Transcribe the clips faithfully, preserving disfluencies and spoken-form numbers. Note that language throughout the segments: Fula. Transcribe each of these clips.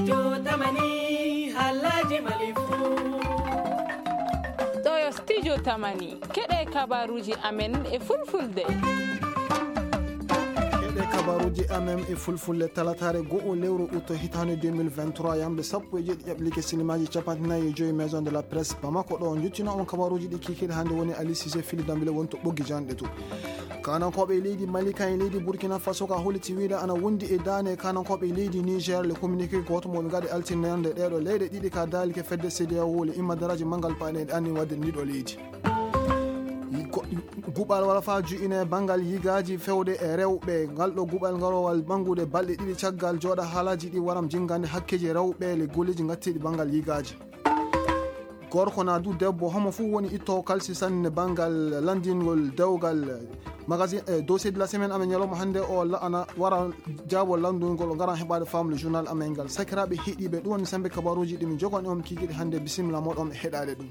Jotamani, halaji malifu. Ɗo yo studio Tamani. Keɗe kabaruji amen e fulfulde. Keɗe kabaruji amen e fulfulde, talataare go'o lewru août hitaande deux mille vingt-trois, yamde sappo e jeeɗiɗi ƴaɓɓike silimaji capanɗe nayi e joyi Maison de la Presse Bamako. Ɗo njottino on kabaruji ɗi kikiɗe hannde woni Ali Cissé Fili Dambile woni to ɓoggi janɗe to. Kanankooɓe e leydi Mali kan e leydi Burkina Faso ka holliti wiide ana wondi e daane kanankooɓe e leydi Niger. Le communiqué gooto mo ɓe ngaɗi altine nde ɗeɗo leyɗe ɗiɗi ka daalike fedde C D A O le immadaraaji manngal paɗe e anni wadde ndiɗo leydi. Ko guɓal wala fa ju'ine banngal yigaaji fewde e rewɓe. Ngal ɗo guɓal ngarowal ɓanngude balɗe ɗiɗi caggal jooɗa haalaji ɗi waram jinngande hakkeji rewɓe le golleji ngattiɗi banngal yigaaji. Gorko na du debbo, homo fuu woni ittowo kalsi sanne banngal lanndingol dewgal magazine e dossier de la semaine amen ñalawma hannde o la-, ana wara jaabo lanndungol o ngaran heɓaade faamle journal amen ngal. Sakiraaɓe heɗiiɓe, ɗum woni sembe kabaruuji ɗi min jogani on kiikiiɗe hannde. Bisimilla mooɗon e heɗaade ɗum.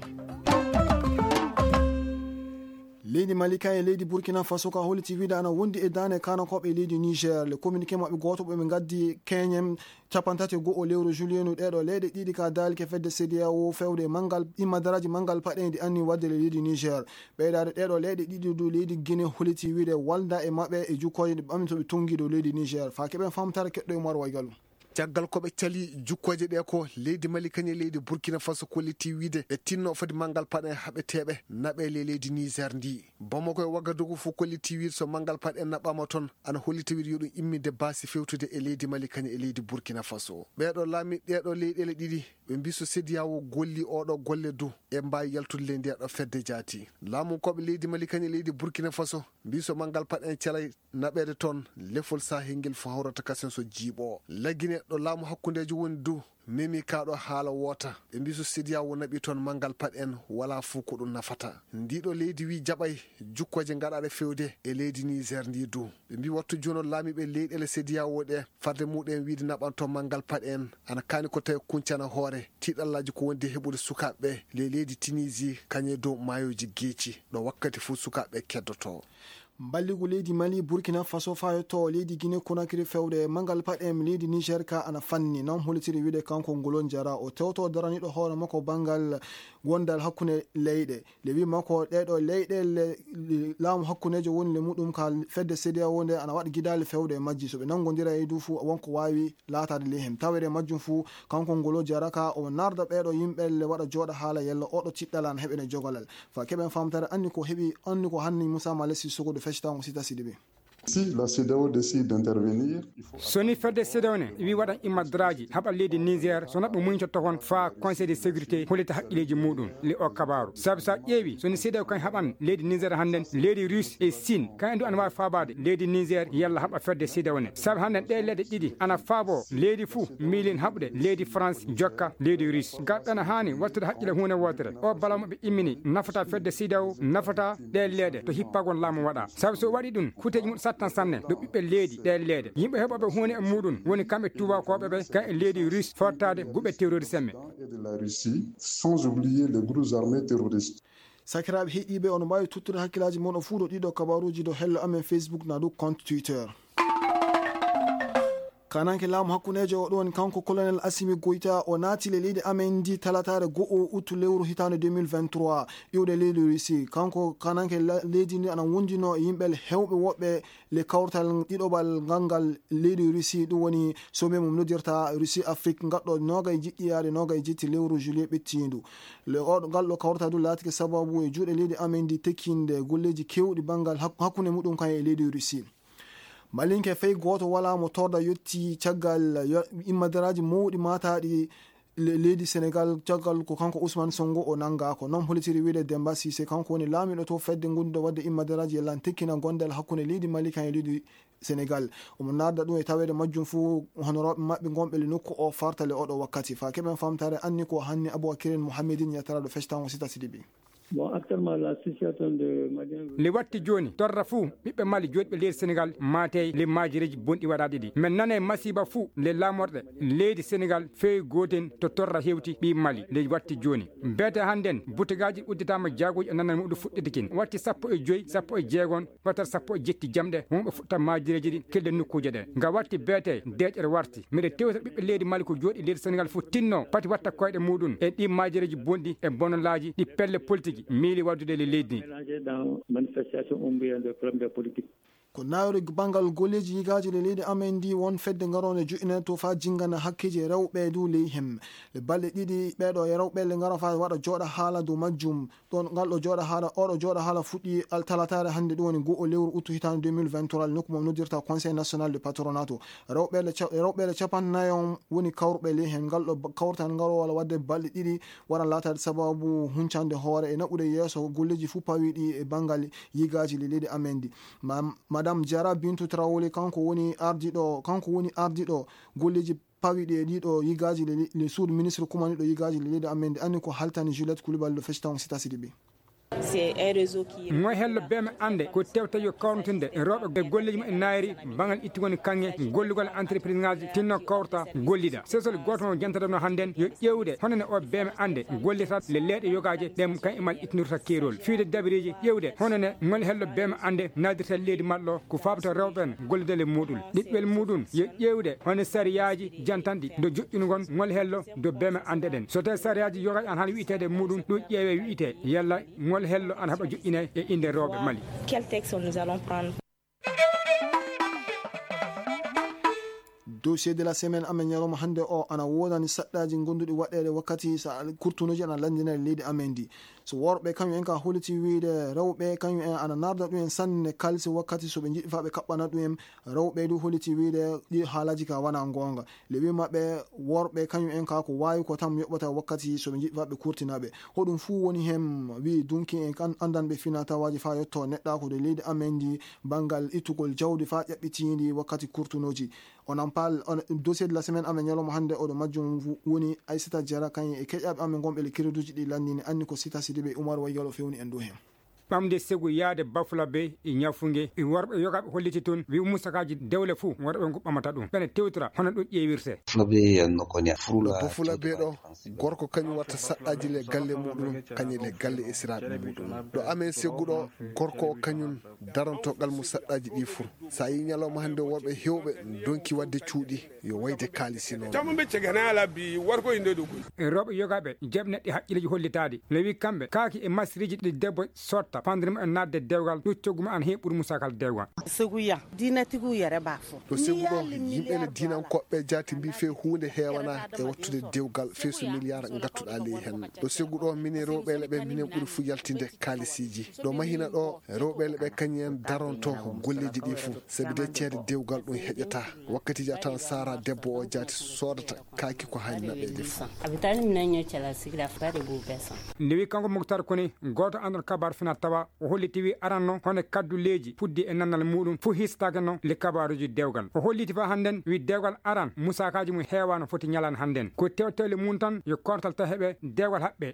Leydi Mali kan e leydi Burkina Faso ka holliti wiide ana wondi e daane kanankooɓe e leydi Niger. Le communiqué maɓɓe gooto ɓe ɓe ngaddi keñen capanɗe tati e go'o lewru juillet nu ɗeɗo leyɗe ɗiɗi ka daalike fedde C D A O fewde manngal immadaraaji manngal paɗe ndi anni wadde le leydi Niger. Ɓeydaade ɗeɗo leyɗe ɗiɗi du leydi Guinée holliti wiide walda e maɓɓe e jukkooje ɗe ɓammi to ɓe tongi dow leydi Niger. Fa keɓen famtare keɗɗo e Umar Waygalu. Caggal ko ɓe cali jukkooje ɗe ko leydi Mali kañe leydi Burkina Faso kolliti wiide ɓe tinno fadi manngal paɗe haɓeteeɓe naɓe le leydi Niger ndi. Bamako e Wagadugu fof kolliti wiide so manngal paɗe naɓɓama toon ana holliti wiide yo ɗum imminde baasi fewtude e leydi Mali kañe e leydi Burkina Faso. Ɓeɗo laami ɗeɗo leyɗele ɗiɗi ɓe mbi so C D A O golli oɗo golle du e mbawi yaltude le ndeɗo fedde jaati. Laamu koɓe leydi Mali kañe leydi Burkina Faso mbi so manngal paɗe en calay naɓeede toon lefol sahel ngel fo hawrata kasen so jiiɓo. Lagine ɗo laamu hakkundeejo woni du memi kaɗo haala woota. Ɓe mbi so C D A O naɓi toon manngal paɗe en wala fof ko ɗum nafata. Ndiɗo leydi wi jaɓay jukkooje ngaɗaɗe fewde e leydi Niger ndi du. Ɓe mbi wattu jono laamiɓe leyɗele C D A O ɗe farde muɗum wiide naɓan toon manngal paɗe en ana kaani ko tawi kuncana hoore tiɗallaji ko wondi heɓude sukaaɓe le leydi Tunisie kañe dow maayoji geeci ɗo wakkati fof sukaaɓe keddoto. Mballigu leydi Mali, Burkina Faso fayotoo leydi Guinée Conakry fewde manngal paɗe en leydi Niger ka ana fanni. Noon hollitiri wiide kanko Ngolo Jara o tewto daraniɗo hoore makko banngal gondal hakkunde leyɗe. Le wi makko ɗeɗo leyɗe le, le laamu hakkundeejo woni le muɗum ka fedde C D A O nde ana waɗa gidaali fewde e majji. So ɓe nanngodira e du fu wonko waawi laataade ley heen. Tawere majjum fuu, kanko Ngolo Jaraka, omo narda ɓeeɗo yimɓe le waɗa jooɗa haala yalla oɗo tiɗɗal ana heɓene jogalal. Fa keɓen famtare anni ko heɓi, anni ko hanni Moussa Malesi Sogodo feccitango Sita Sidibe. Si la C D A O décide d'intervenir, il faut... So ni fedde C D A O ne wi waɗan immadraaji haɓa leydi Niger, so naɓɓo muñcoto toon fa Conseil de sécurité hollita haqqileeji muɗum le o kabaru. Sabu sa ƴeewi, so ni C D A O kan haɓan leydi Niger hannden, leydi Russe e Sine kan du ana waawi faabaade leydi Niger yalla haɓa fedde C D A O ne. Sabu hannden ɗe leɗɗe ɗiɗi ana faabo leydi fuu miilin haɓude leydi France jokka leydi Russe. Ngal ɗana haani wattude haqqile huunde wootere. O bala mo ɓe immini nafata fedde C D A O, nafata ɗe leeɗe to hippagon laamu waɗa. Sabu so waɗi ɗum, kuteeji mum sattan sanne ɗo ɓiɓɓe leydi ɗe leeɗe. Yimɓe heɓooɓe huunde e muɗum woni kamɓe tuubakooɓe ɓe kan e leydi Russe fortaade guɓe terroriste en ɓe. Et de la Russie, sans oublier les groupes armés terroristes. Sakiraaɓe heɗiiɓe, on mbaawi tuttude hakkillaaji mon o fuu ɗo ɗiɗo kabaruuji ɗo hello amen Facebook na dow compte Twitter. Kananke laamu hakkundeejo o ɗon kanko Colonel Assimi Goïta o naati le leydi amen ndi talataare go'o uttu lewru hitaande deux mille vingt-trois iwde leydi Russie. Kanko kananke la-, leydi ndi ana wondino e yimɓe heewɓe woɓɓe le kawtal ɗiɗoɓal ngal ngal leydi Russie, ɗum woni sommet mo noddirta Russie Afrique, ngal ɗo noogay jiɗɗi yaade noogay jetti lewru juillet ɓettiindu. Le oɗo, ngal ɗo kawtal du laatike sababu e juuɗe leydi amen ndi tekkinde golleeji keewɗi banngal hak-, hakkunde muɗum kan e leydi Russie. Malinke fay gooto walaa mo torda yotti caggal yo-, immadaraaji mawɗi maataaɗi le-, leydi Senegal, caggal ko kanko Ousmane Sonko o nanngaako. Noon holitiri wiide Demba Cissé, kanko woni laamiiɗo to fedde ngonduɗo waɗde immadaraaji e lan tekkina gondal hakkunde leydi Mali kan e leydi Senegal. Omo narda ɗum e taweede majjum fuu honorooɓe maɓɓe ngonɓe le nokku o farta le oɗo wakkati. Fa keɓen famtaare anni ko hanni Aboubakirin Mohamedin yettaraaɗo fectango Sita Sidibi. Bon, actuellement, la situation de Maliens. Nde watti jooni, torra fuu ɓiɓɓe Mali jooɗiiɓe leydi Senegal maatey le maajereeji bonɗi waɗaaɗi ɗi. Men nanay masiiba fuu le laamorɗe leydi Senegal feewi gooten to torra hewti ɓii Mali le watti jooni. Beete hannden, butegaaji udditaama, jaaguuji e nanal muɗum fuɗɗiti kin. Watti sappo e joy, sappo e jeegon, watar sappo e jetti jamɗe, wonɓe fuɗta maajereeji ɗi kelde nokkuuje ɗe. Nga watti beete, deeƴere warti. Miɗe tewta ɓiɓɓe leydi Mali ko jooɗi leydi Senegal fof tinno pati watta koyɗe muɗum e ɗi maajereeji bonɗi e bonolaaji ɗi pelle politiki miili waddude e leydi ndi. Mélangé dans manifestation ou bien des problèmes de politique. Ko nawri banngal golleeji yigaaji e leydi amen ndi, won fedde ngaroonde joƴƴinande to faa jinngana hakkeeji rewɓe dow ley heen. Le balɗe ɗiɗi ɓeeɗo e rewɓe le ngara faa waɗa jooɗa haala dow majjum. Ɗon ngal ɗo jooɗa haala, oɗo jooɗa haala fuɗɗi al-, talataare hannde, ɗum woni goo lewru uttu hitaande deux mille vingt-trois, le nokku mo noddirta Conseil National de Patronat. Rewɓe le ca-, rewɓe le capanɗe nayo woni kawruɓe ley heen. Ngal ɗo ba-, kawtal ngal wala waɗde balɗe ɗiɗi, wara laataade sababu huncande hoore e naɓude yeeso golleeji fuu pawiiɗi e banngal yigaaji le leydi amen ndi. Ma-, Madame Diarra Bintou Traoré, kanko woni ardiiɗo, kanko woni ardiiɗo golleeji pawiiɗi e ɗiɗo yigaaji le, le suudu ministre kumaniiɗo yigaaji le leydi amen ndi, anni ko haltani Juliette Coulibaly ɗo fecci taw on sita siɗi ɓe. C'est un réseau qui est Moy hello beme ande ko tewta yo kawnitinde e rewɓe e golleeji mum e naayri bangal itti woni kaŋŋe gollugol entreprise ngaji tinno kawta gollida. Sesol gooto mo jantata no hannden yo ƴeewde hono ne o beme ande gollita le leeɗe yogaaje ɗe kan e mal ittinirta keerol. Fiide dabiriji ƴeewde hono ne ngol hello beme ande naadirta leydi maɗɗo ko faabata rewɓe en gollidale muɗum. Ɗiɗɗel muɗum yo ƴeewde hono sariyaaji jantanɗi do joƴƴunugol ngol hello do beme ande ɗen. So tawi sariyaaji yoga an hano wi'iteede muɗum ɗum ƴeewe wi'ite yalla ngol hello an haɓa joƴƴine e innde rewɓe Mali. Quel texte nous allons prendre? Dossier de la semaine amen ñalawma hannde o ana woodani saɗɗaaji gonduɗi waɗeede wakkati sa kurtunoji ana lanndinani leydi amen ndi. So worɓe kañum en ka holliti wiyde rewɓe kañum en ana narda ɗum en sanne kaalisi wakkati so ɓe njiɗi fa ɓe kaɓɓana ɗum en. Rewɓe du holliti wiyde ɗi haalaji ka wona goonga. Le wi maɓɓe worɓe kañum en ka ko waawi ko tan yoɓata wakkati so ɓe njiɗi fa ɓe kurtinaɓe. Hoɗum fuu woni heen wi dunki en kan anndanɓe fina tawaaji fa yetto neɗɗa ko de leydi amen ndi banngal ittugol jawdi fa ƴaɓɓitiindi wakkati kurtunoji. Onon paal, on, dossier de la semaine amen ñalawma hannde oɗo majjum wu-, woni Aissata Diarra kañum e keƴaɓe amen gonɓe le créduji ɗi lanndini anni ko Sita Sidibé Oumar Wayyalo fewni en dow heen. Ɓamde segu yaade Bafulabe e Ñafunge e worɓe yogaɓe holliti toon wi musakaaji dewle fuu worɓe ngu ɓamata ɗum. Ɓene tewtora hono ɗum ƴeewirte. Fulabe yanno ko ña furula. Ɗo Bafulabe ɗo, gorko kañum watta saɗɗaaji le galle muɗum, kañum le galle esiraaɓe muɗum. Ɗo amen seguɗo, gorko o kañum daranto gal mu saɗɗaaji ɗi fur. Sa yi ñalawma hannde worɓe hewɓe donki wadde cuuɗi yo wayde kaalisi noon. Jamma ɓe cegana ala bi warko inde ɗo koy. E rewɓe yogaɓe jaɓi neɗɗe haqqilleji hollitaɗi. Lewi kamɓe kaaki e masiriji ɗi debbo sotta fandiri mumen naatde dewgal ɗo coggu mumen ana heewi ɓuri musakal dewgal. Seguya, diina tigu yere ba fo. Ɗo segu ɗo, yimɓe ne diinankoɓe jaati mbi fe huunde heewana e wattude dewgal fe so miliyar ngattuɗa ley hen. Ɗo segu ɗo, minen rewɓe leɓe minen ɓuri fu yaltinde kalisiji. Ɗo mahina ɗo, rewɓe leɓe kañum en daronto golleji ɗi fu. Sabi de ceede dewgal ɗum heƴata. Wakkatiji a tawan sara debbo o jaati sodata kaaki ko hani naɓeje fu. Abitani minen ño cala sigira fukade bu besan. Nde wi kanko Muktar Kone, gooto andon kabar fina tawa, o holliti wi aran no hono kadduleeji puddi e nannal muɗum fu histake no le kabaruji dewgal. O holliti fa hannden wi dewgal aran musakaji mum heewano foti ñalan hannden. Ko tewtewle mum tan yo kortal ta heɓe dewgal haɓɓe.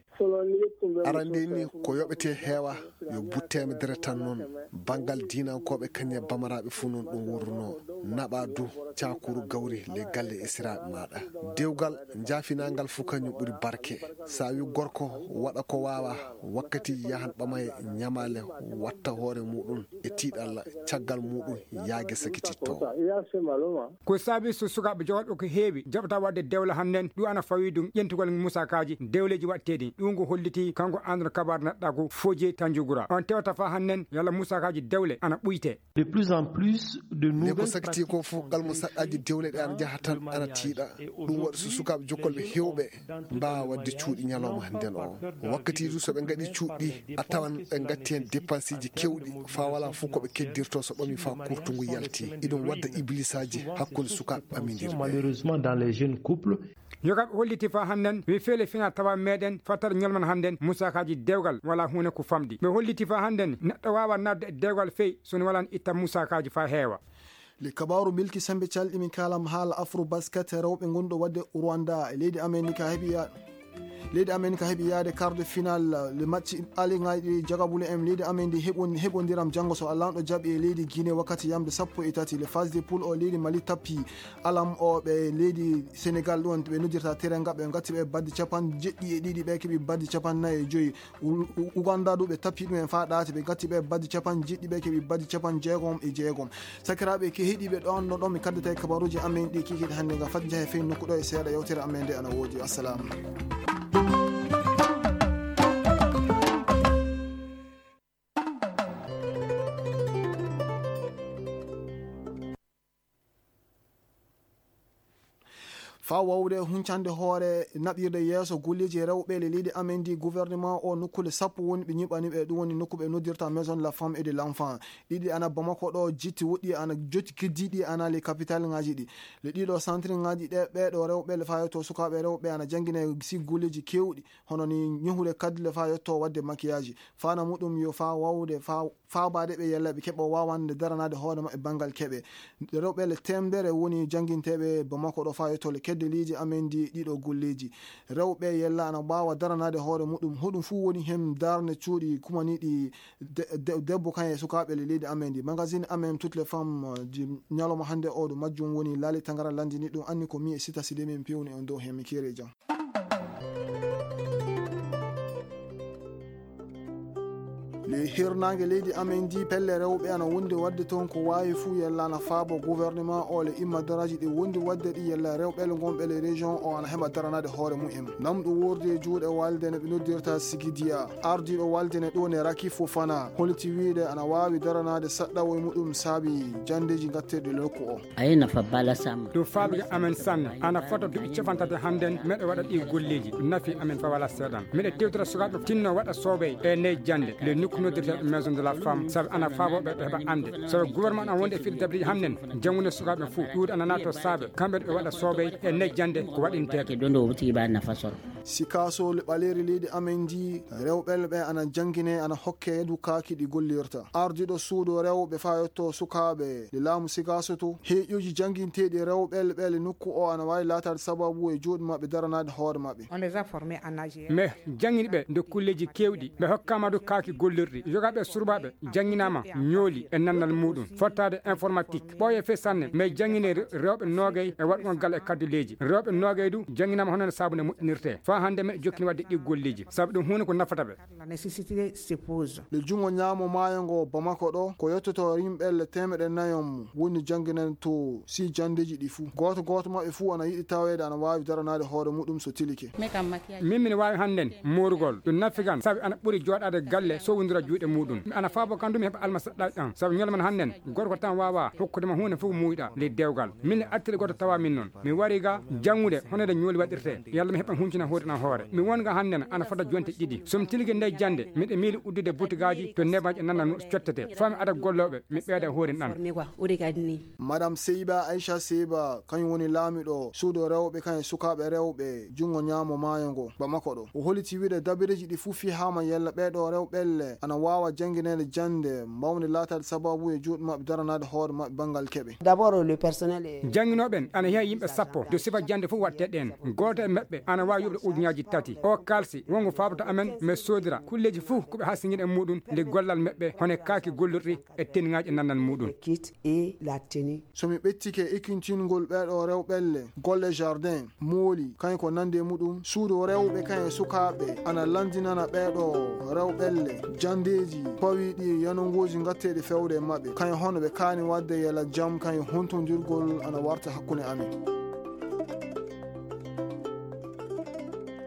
Arande ni ko yoɓete heewa yo butteeme dere tan noon. Bangal diinankooɓe kañe bamaraaɓe fuu noon ɗum wurruno. Naɓa du cakuru gawri le galle e siraaɓe maaɗa. Dewgal njaafinangal fuu kañum ɓuri barke. Sa wi gorko waɗa ko waawa wakkati yahan ɓamaye ñamale watta hoore muɗum e tiiɗalla caggal muɗum yaage sakititto. Ko saabi so sukaaɓe jogooɓe ko heewi jaɓata waɗde dewle hannden ɗum ana fawi ɗum ƴentugol musakaaji dewleeji waɗteeɗi. Ɗum ko holliti kanko Andro Kabar neɗɗaagu Fodje Tanjugura. On tewta fa hannden yalla musakaaji dewle ana ɓuyte. De plus en plus de nouvelles pratiques. Nde ko sakiti ko fof, ngal mo saɗɗaaji dewle ɗe ana njaha tan ana tiiɗa. Ɗum waɗi so sukaaɓe jokkolɓe heewɓe mbaawa waɗde cuuɗi ñalawma hannden o. Wakkati du so ɓe ngaɗi cuuɗi, a tawan ɓe ngatti heen dépensiji kewɗi, faa walaa fof ko ɓe keddirto so ɓami faa kurtungu yalti. Iɗum wadda iblisaji hakkunde sukaaɓe ɓamindirɓe. Malheureusement, dans les jeunes couples. Yogaɓe holliti faa hannden, wi feele fina tawa meɗen fattar ñolman hannden, musakaji dewgal wala huune ko famɗi. Ɓe holliti faa hannden, neɗɗo waawa naatde e dewgal fey, so ne walan itta musakaji faa heewa. Le kabaru milki sembe calɗi min kalam haala Afro Basket rewɓe gonɗo wadde Rwanda e leydi Amerika heɓi ya-, Leydi amen ka heɓi yaade quart de finale, le match aliŋaaji jagabule en. Leydi amen ndi heɓon-, heɓondiram janngo so Allaanɗo jaɓi e leydi Guinée wakkati yamde sappo e tati. Le phase de poule o, leydi Mali tappi alam o ɓe leydi Sénégal, ɗum ɓe noddirta Teranga, ɓe gatti ɓe baddi capanɗe jeɗɗi e ɗiɗi, ɓe keɓi baddi capanɗe nayi e joyi. U-, U-, Uganda du ɓe tappi ɗum en faa ɗaati, ɓe gatti ɓe baddi capanɗe jeɗɗi, ɓe keɓi baddi capanɗe jeegom e jeegom. Sakiraaɓe ke heɗiiɓe ɗoon, no ɗoon mi kaddata e kabaruuji amen ɗi kikiiɗe hannde, ngam fat njahe fey nokku ɗo e seeɗa yewtere amen nde ana woodi. Assalaam. Faa waawde huncande hoore naɓirde yeeso golleeji rewɓe le leydi amen ndi, gouvernement o nokkuule sappo woni ɓe ñiɓani ɓe, ɗum woni nokku ɓe noddirta Maison de la Femme et de l'Enfant. Ɗiɗi ana Bamako ɗo jitti, woɗɗi ana jotti keddiiɗi ana le capitale ŋaaji ɗi. Le ɗiɗo centre ŋaaji ɗe, ɓeeɗo rewɓe le fayotoo sukaaɓe rewɓe ana janngine si golleeji keewɗi, hono ni ñohude kaddi le fayotoo waɗde maquillage. Faana muɗum yo faa waawde faa faabaade ɓe yalla ɓe keɓa waawande daranaade hoore maɓɓe banngal keɓe. Rewɓe le teemedere woni jannginteeɓe Bamako ɗo fayotoo le kedde leydi amen ndi ɗiɗo golleeji. Rewɓe yalla ana mbaawa daranaade hoore muɗum. Hoɗum fuu woni heen darnde cuuɗi kumaniiɗi de-, de-, debbo kan e sukaaɓe le leydi amen ndi. Magazine amen Toutes les Femmes, eh, di ñalawma hannde o ɗo majjum woni Laali Tangara lanndini ɗum. Anni ko mi e Sita Sidi min pewni on dow heen, mi keeri e jam. Le hirnaange leydi amen ndi, pelle rewɓe ana wondi waɗde toon ko waawi fuu yalla ana faabo gouvernement o le imma daraaji ɗi wondi waɗde ɗi yalla rewɓe le ngonɓe le région o ana heɓa daranaade hoore mumen. Namɗo woordi e juuɗe walde ne ɓe noddirta Sigidiya. Ardiiɗo walde ne ɗo ne Raki Fofana holiti wiide ana waawi daranaade saɗɗawo e muɗum saabi janndeeji ngatteeɗi nokku o. Ayi nafa bala sama. Ɗum faabi amen sanne. Ana fota duuɓi capanɗe tati hannden meɗe waɗa ɗi golleeji. Ɗum nafi amen fa wala seeɗan. Meɗe tewtira sukaaɓe tinno waɗa soobey e ney jannde. Le nokku noddirta Maison de la Femme. Sabu ana faabo ɓe ɓe heɓa annde. Sabu gouvernement ana wonde e fiɗde dabreeji hannden. Janngude sukaaɓe fuu. Ɗuuɗi ana naato saabe. Kamɓe ɓe waɗa soobey e ney jannde ko waɗinteeɗo. Ke dondo wuti ba nafa soro. Sikaaso le ɓaleeri leydi amen ndi, rewɓe le ɓe ana janngine, ana hokke du kaaki ɗi gollirta. Ardiiɗo suudu rewɓe faa yetto sukaaɓe le laamu Sikaaso to, heeƴuuji jannginteeɗi rewɓe le ɓe le nokku o ana waawi laataade sababu e juuɗe maɓɓe daranaade hoore maɓɓe. On les a formés en A G R. Mais janngini ɓe nde kulleeji keewɗi, ɓe hokkaama du kaaki gollirɗi. Yogaaɓe surbaaɓe jannginaama ñooli e nannal muuɗum, fottaade informatique. Ɓooye fee sanne, mais janngine re-, rewɓe noogay e waɗgol gal e kadduleeji. Rewɓe noogay du jannginaama hono no saabu nde moƴƴinirtee. Faa hannde meɗe jokkini waɗde ɗi golleeji, sabu ɗum huunde ko nafata ɓe. La nécessité se pose. Le junngo ñaamo maayo ngo Bamako ɗo, ko yettoto yimɓe le teemeɗe nayo mum woni jannginanto si janndeeji ɗi fuu. Gooto gooto maɓɓe fuu ana yiɗi taweede ana waawi daranaade hoore muɗum so tilike. Min, min waawi hannden moorugol. Ɗum nafi kan, sabu ana ɓuri jooɗaade galle, sowondira juuɗe muuɗum. Mi ana faabo kan du mi heɓa alma saɗɗaaji ɗan. Sabu ñalawma hannden, gorko tan waawaa hokkude ma huunde fof muuyɗa ley dewgal. Min ne artiri gooto tawa min noon. Mi wari ga janngude hono nde ñooli waɗirtee. Yalla mi heɓa huncina hoore an hoore. Mi won ga hannden ana fota jonte ɗiɗi. So mi tilike nde jannde, miɗo miili uddude butigaaji to neeɓaaji e nannan cottetee. Faa mi ada gollooɓe, mi ɓeyda hoore an. Madame Seyba, Aisha Seyba, kañum woni laamiɗo suudu rewɓe, kañum e sukaaɓe rewɓe junngo ñaamo maayo ngo, Bamako ɗo. O holiti wiide dabireeji ɗi fuu fihaama yalla ɓeeɗo rewɓe le ana waawa janngineede jannde mbawnde laataade sababu e juuɗe maɓɓe daranaade hoore maɓɓe banngal keɓe. D'abord, le personnel est... Jannginooɓe en ana heewi yimɓe sappo, de sifa jannde fof waɗtee ɗeen. Gooto e maɓɓe ana waawi yoɓde ujunnaaji tati. O kaalsi wongo faabata amen, mais soodira kulleeji fof ko ɓe hasingina e muuɗum nde gollal maɓɓe, hono kaaki gollirɗi e tenngaaji e nannal muuɗum. Kit et la tenue. So mi ɓettike ekkintingol ɓeeɗo rewɓe le, golle jardin, mooli, kañum ko nande e muɗum, suudu rewɓe kañum e sukaaɓe, ana lanndinana ɓeeɗo rewɓe le janndeeji pawiiɗi e yanongooji ngatteeɗi fewde e maɓɓe, kañum hono ɓe kaani waɗde yala jam, kañum hontondirgol ana warta hakkunde amen.